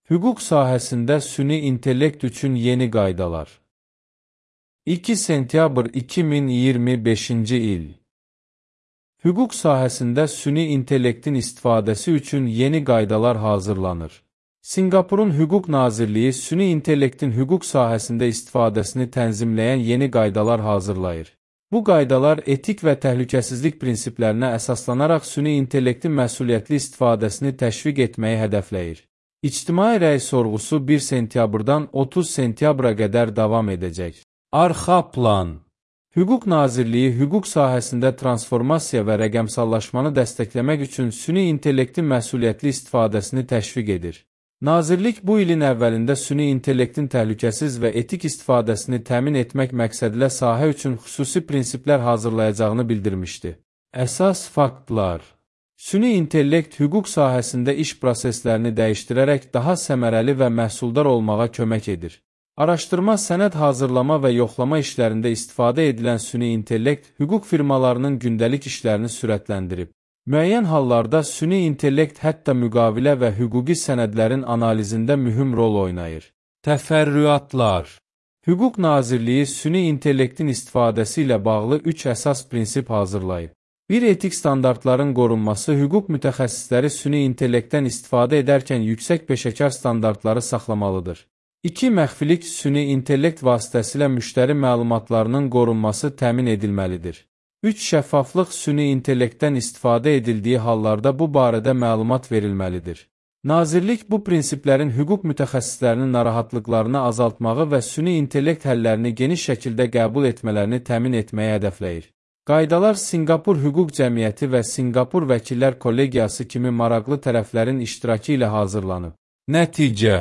Hüquq sahəsində süni intellekt üçün yeni qaydalar. 2 sentyabr 2025-ci il. Hüquq sahəsində süni intellektin istifadəsi üçün yeni qaydalar hazırlanır. Sinqapurun Hüquq Nazirliyi süni intellektin hüquq sahəsində istifadəsini tənzimləyən yeni qaydalar hazırlayır. Bu qaydalar etik və təhlükəsizlik prinsiplərinə əsaslanaraq süni intellektin məsuliyyətli istifadəsini təşviq etməyi hədəfləyir. İctimai rəy sorğusu 1 sentyabrdan 30 sentyabra qədər davam edəcək. Arxa plan. Hüquq Nazirliyi hüquq sahəsində transformasiya və rəqəmsallaşmanı dəstəkləmək üçün süni intellektin məsuliyyətli istifadəsini təşviq edir. Nazirlik bu ilin əvvəlində süni intellektin təhlükəsiz və etik istifadəsini təmin etmək məqsədilə sahə üçün xüsusi prinsiplər hazırlayacağını bildirmişdi. Əsas faktlar. Süni intellekt hüquq sahəsində iş proseslərini dəyişdirərək daha səmərəli və məhsuldar olmağa kömək edir. Araşdırma, sənəd hazırlama və yoxlama işlərində istifadə edilən süni intellekt hüquq firmalarının gündəlik işlərini sürətləndirib. Müəyyən hallarda süni intellekt hətta müqavilə və hüquqi sənədlərin analizində mühüm rol oynayır. Təfərrüatlar. Hüquq Nazirliyi süni intellektin istifadəsi ilə bağlı 3 əsas prinsip hazırlayıb. Bir etik standartların qorunması hüquq mütəxəssisləri süni intellektdən istifadə edərkən yüksək peşəkar standartları saxlamalıdır. 2. Məxfilik süni intellekt vasitəsilə müştəri məlumatlarının qorunması təmin edilməlidir. 3. Şəffaflıq süni intellektdən istifadə edildiyi hallarda bu barədə məlumat verilməlidir. Nazirlik bu prinsiplərin hüquq mütəxəssislərinin narahatlıqlarını azaltmağı və süni intellekt həllərini geniş şəkildə qəbul etmələrini təmin etməyə hədəfləyir. Qaydalar Sinqapur Hüquq Cəmiyyəti və Sinqapur Vəkillər Kollegiyası kimi maraqlı tərəflərin iştirakı ilə hazırlanıb. Nəticə.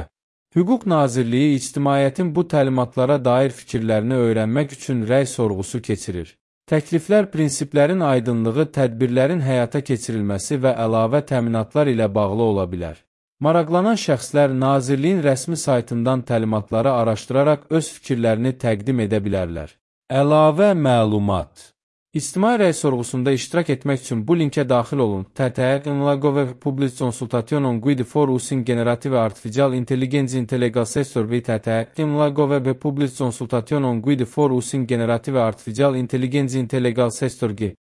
Hüquq Nazirliyi ictimaiyyətin bu təlimatlara dair fikirlərini öyrənmək üçün rəy sorğusu keçirir. Təkliflər prinsiplərin aydınlığı, tədbirlərin həyata keçirilməsi və əlavə təminatlar ilə bağlı ola bilər. Maraqlanan şəxslər Nazirliyin rəsmi saytından təlimatları araşdıraraq öz fikirlərini təqdim edə bilərlər. Əlavə məlumat. İctimai rəy sorğusunda iştirak etmək üçün bu linkə daxil olun. TTR-Nlagove Public Consultation Guide for Using Generative Artificial Intelligence Intellegal Sector ve TTR-Nlagove Public Consultation Guide for Using Generative Artificial Intelligence Intellegal Sector